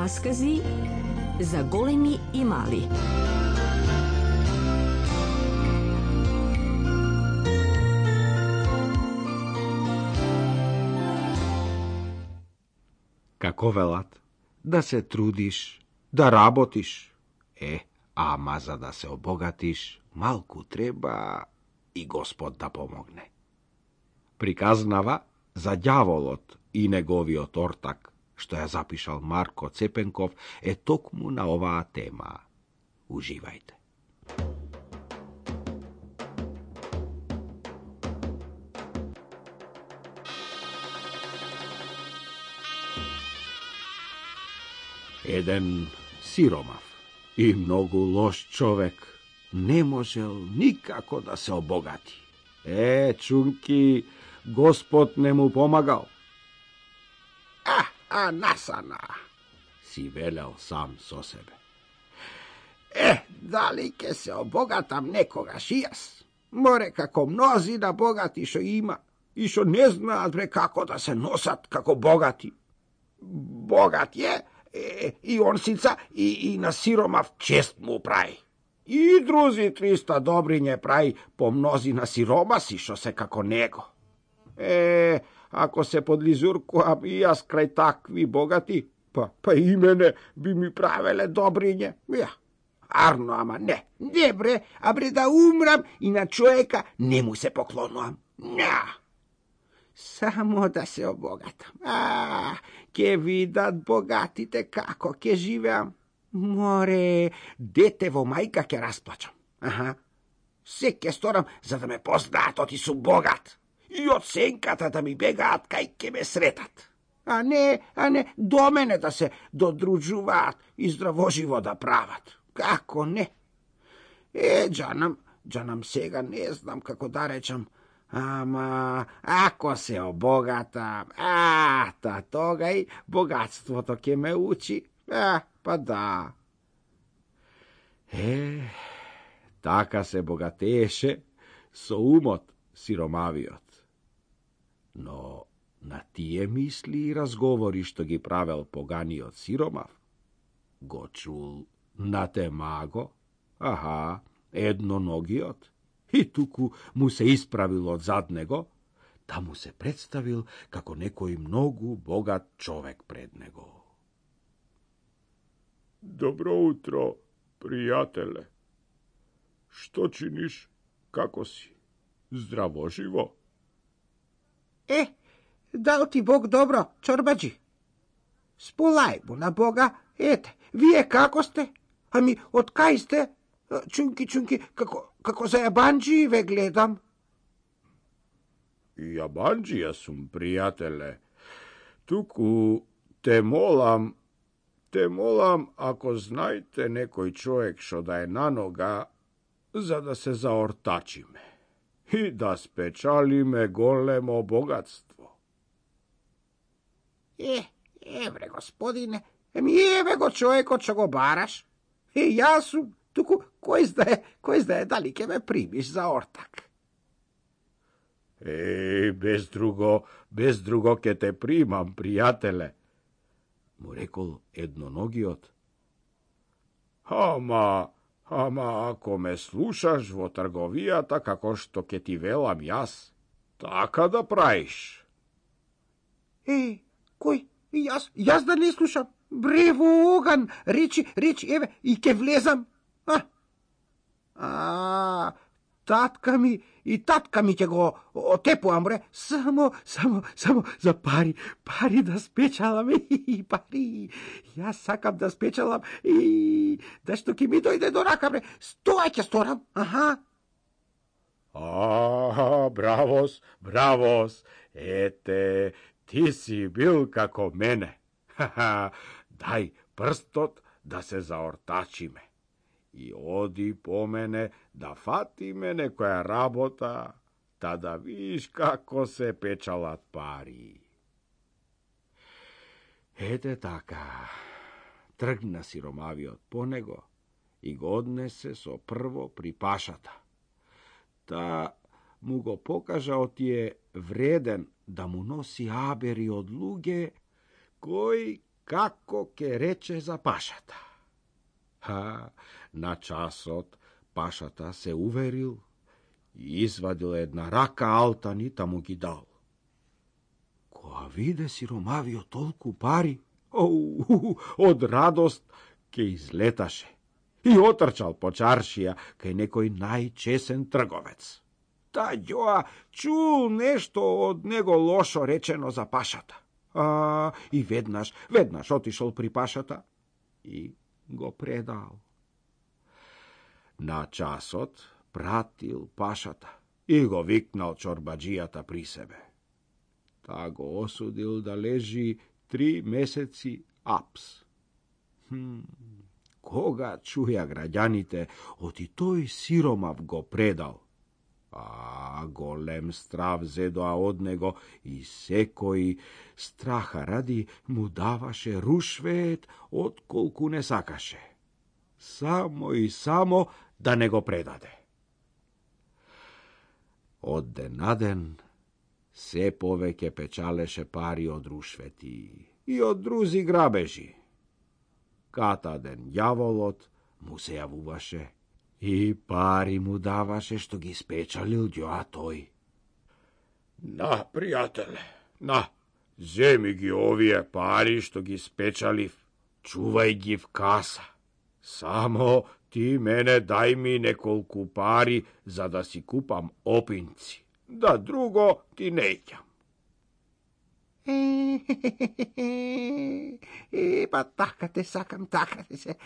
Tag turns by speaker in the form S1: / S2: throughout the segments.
S1: Раскази за големи и мали.
S2: Како велат, да се трудиш, да работиш. Ама за да се обогатиш, малку треба и Господ да помогне. Приказнава за ѓаволот и неговиот ортак, што ја запишал Марко Цепенков, е токму на оваа тема. Уживајте. Еден сиромав и многу лош човек не можел никако да се обогати. Чунки, Господ не му помагал.
S3: Насана,
S2: си велел сам со себе.
S3: Дали ке се обогатам некогаш и јас? Море како мнозина богати шо има и шо не знаат како да се носат како богати. Богат е и онсица и на сиромав чест му прави. И друзи 300 добриње прави по мнозина сиромаси шо се како него. Ако се подлизуркувам и јас крај такви богати, па и мене би ми правеле добриње. Арно, ама не бре, да умрам и на човека не му се поклонувам. Само да се обогатам. Ке видат богатите како ке живеам. Море, дете во мајка ке расплачам. Се ке сторам за да ме познаат оти сум богат. И од сенката да ми бегаат кај ке ме сретат. А не до мене да се додружуваат и здравоживо да прават. Како не? Джанам сега не знам како да речам. Ама, ако се обогатам, тогај богатството ке ме учи. Па да.
S2: Така се богатееше со умот сиромавиот. Но на тие мисли и разговори што ги правел поганиот сиромав, го чул Натемаго, едноногиот, и туку му се исправил од зад него, да му се представил како некој многу богат човек пред него.
S4: Добро утро, пријателе. Што чиниш? Како си? Здраво живо?
S3: Дал ти Бог добро, чорбаджи. Сполај му на Бога, вие како сте? Ами, од кај сте? Чунки, како за јабанджи ве гледам.
S4: Јабанджија сум, пријателе. Туку те молам, ако знаете некој човек што да е на нога, за да се заортачиме и да спечалиме големо богатство.
S3: Евре, господине, еве го човекот што го бараш. Јас сум, туку кој знае дали ќе ме примиш за ортак.
S4: Без друго ќе те примам, пријателе,
S2: му рекол едноногиот.
S4: Ама ако ме слушаш во трговијата како што ќе ти велам јас, така да праиш.
S3: Кој? Јас да не слушам? Брево оган, речи, еве, и ке влезам. Татка ми ќе го отепувам, бре. Само за пари да спечалам, пари. Јас сакам да спечалам и да што ќе ми дојде до рака, бре. Тоа ќе сторам,
S4: Бравос, ете, ти си бил како мене. Дај прстот да се заортачиме. И оди по мене да фатиме некоја работа, та да видиш како се печалат пари.
S2: Ете така, тргна сиромавиот по него и го однесе со прво при пашата. Та му го покажа отие вреден да му носи абери од луѓе кој како ке рече за пашата. На часот пашата се уверил и извадил една рака алтани, та му ги дал. Кога виде сиромавиот толку пари, од радост ке излеташе и отрчал по чаршија кај некој најчесен трговец. Таѓоа чул нешто од него лошо речено за пашата. И веднаш отишол при пашата и го предал. На часот пратил пашата и го викнал чорбаджијата при себе. Та го осудил да лежи 3 месеци апс. Кога чуја граѓаните, оти тој сиромав го предал, голем страв зедоа од него и секој страха ради му даваше рушвет отколку не сакаше. Само и само да не го предаде. Од ден на ден се повеќе печалеше пари од рушвети и од друзи грабежи. Ката ден ѓаволот му се јавуваше и пари му даваше што ги спечалил ѓоа тој.
S4: На, пријателе, на, земи ги овие пари што ги спечалив, чувај ги в каса. Само ти мене дај ми неколку пари за да си купам опинци, да друго ти не ќам.
S3: Па така те сакам, така те се.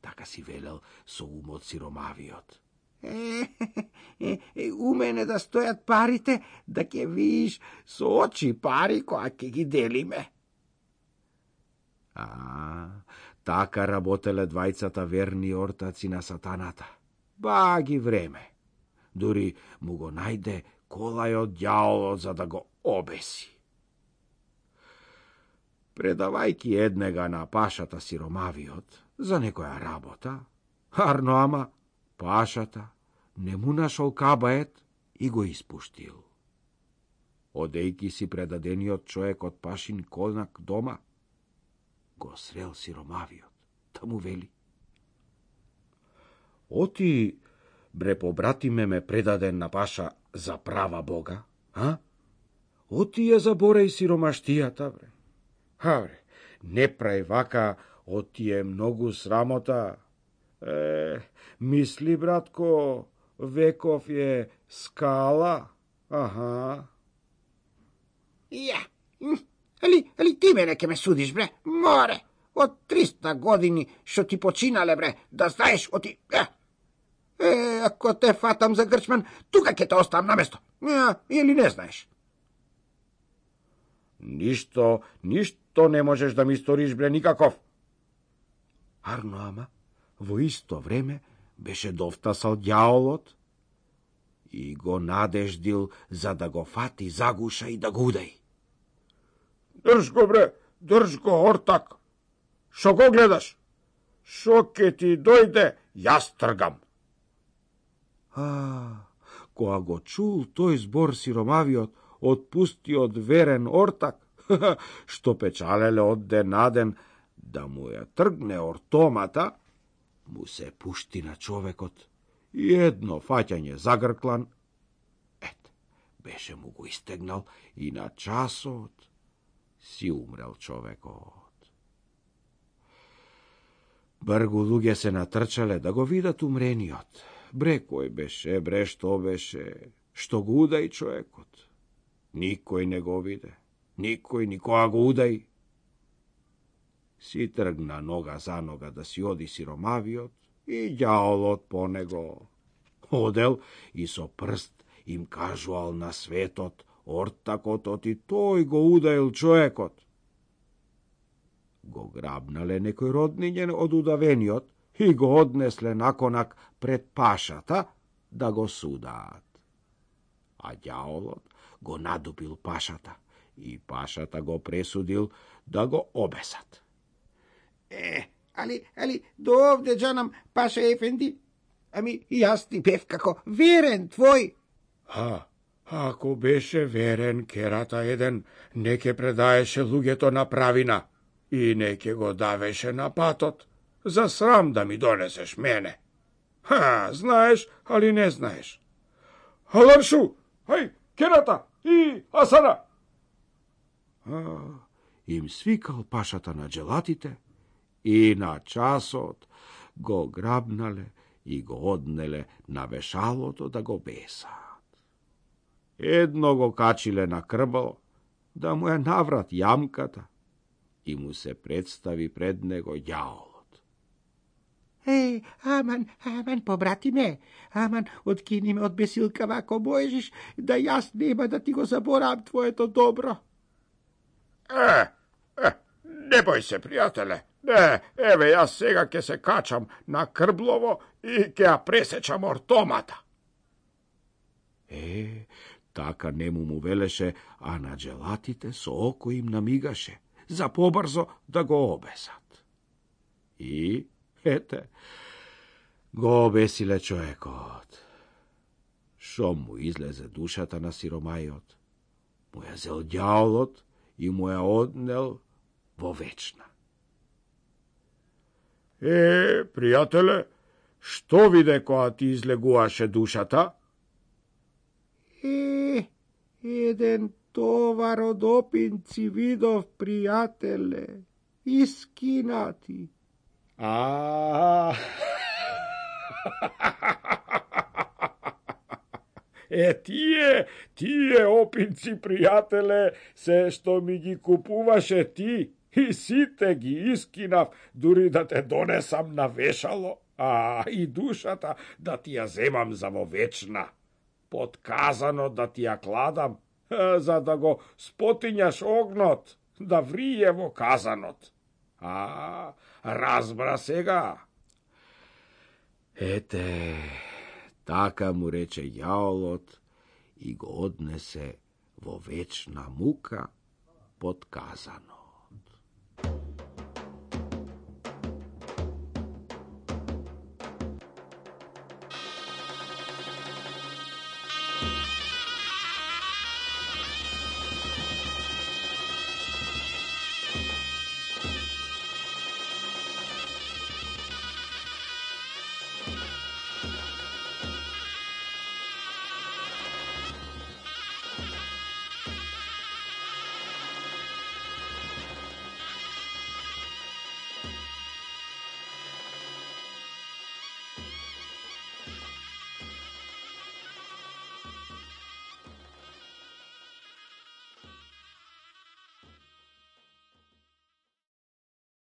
S2: Така си велел со умот сиромавиот.
S3: У мене да стојат парите, да ќе видиш со очи пари која ќе ги делиме.
S2: Така работеле двајцата верни ортаци на сатаната. Баги време. Дури му го најде колајот ѓаолот за да го обеси. Предавајки еднега на пашата сиромавиот за некоја работа, арно ама пашата не му нашол кабает и го испуштил. Одејки си предадениот човек од пашин конак дома, го срел сиромавиот, та му вели: Оти, бре, побратиме ме предаден на паша за права Бога, Оти ја забореј сиромаштијата, бре. Бре, не прај вака, оти е многу срамота. Мисли, братко, веков е скала,
S3: Али ти мене ке ме судиш, бре, море, од 300 години што ти починале, бре, да знаеш, оти... ако те фатам за грчман, тука ќе те оставам на место, или не знаеш?
S2: Ништо не можеш да ми сториш, бре, никаков. Арно ама, во исто време беше довтасал ѓаолот и го надеждил за да го фати за гуша и да го удај.
S4: Држ го, бре, држ го, ортак. Шо го гледаш? Шо ке ти дојде, јас тргам.
S2: Кога го чул тој збор сиромавиот, отпустиот верен ортак, што печалеле од ден на ден да му ја тргне ортомата, му се пушти на човекот и едно фаќање за грклан, беше му го истегнал и на часот си умрел човекот. Бргу луѓе се натрчале да го видат умрениот. Бре, кој беше, бре, што беше, што го удај човекот. Никој не го виде, никој никога го удај. Си тргна нога за нога да си оди сиромавиот и ѓаолот по него. Одел и со прст им кажувал на светот, ортакот оти тој го удаил човекот. Го грабнале некој роднињен од удавениот и го однесле наконак пред пашата да го судаат. А ѓаолот го надупил пашата и пашата го пресудил да го обесат.
S3: Али, до овде джанам, паша ефенди, ами јас ти бев како верен твој.
S4: Ако беше верен, керата еден не ке предаеше луѓето на правина. и неќе го давеше на патот, за срам да ми донесеш мене. Знаеш, али не знаеш. Халаршу, хај, керата и Асана!
S2: Им свикал пашата на джелатите и на часот го грабнале и го однеле на вешалото да го бесаат. Едно го качиле на крбо, да му наврат јамката и му се представи пред него јаолот.
S3: Аман, побрати ме, аман, откини ме од бесилкава ако можеш, да јас нема да ти го заборавам твоето добро.
S4: Не бој се, пријателе. Не, еве, јас сега ќе се качам на крблово и ќе ја пресечам ортомата.
S2: Така нему му велеше, а на джелатите со око им намигаше, за побрзо да го обесат. И, го обесиле човекот. Шо му излезе душата на сиромајот, му ја зел ѓаолот и му ја однел во вечна.
S4: Пријателе, што виде кога ти излегуваше душата?
S3: Еден товар од опинци видов, пријателе, искинати.
S4: Тие опинци, пријателе, се што ми ги купуваше ти, и сите ги искинав, дури да те донесам на вешало, и душата да ти ја земам за во вечна. Подказано да ти ја кладам, за да го спотињаш огнот, да врие во казанот. Разбра сега.
S2: Така му рече јаолот и го однесе во вечна мука подказано.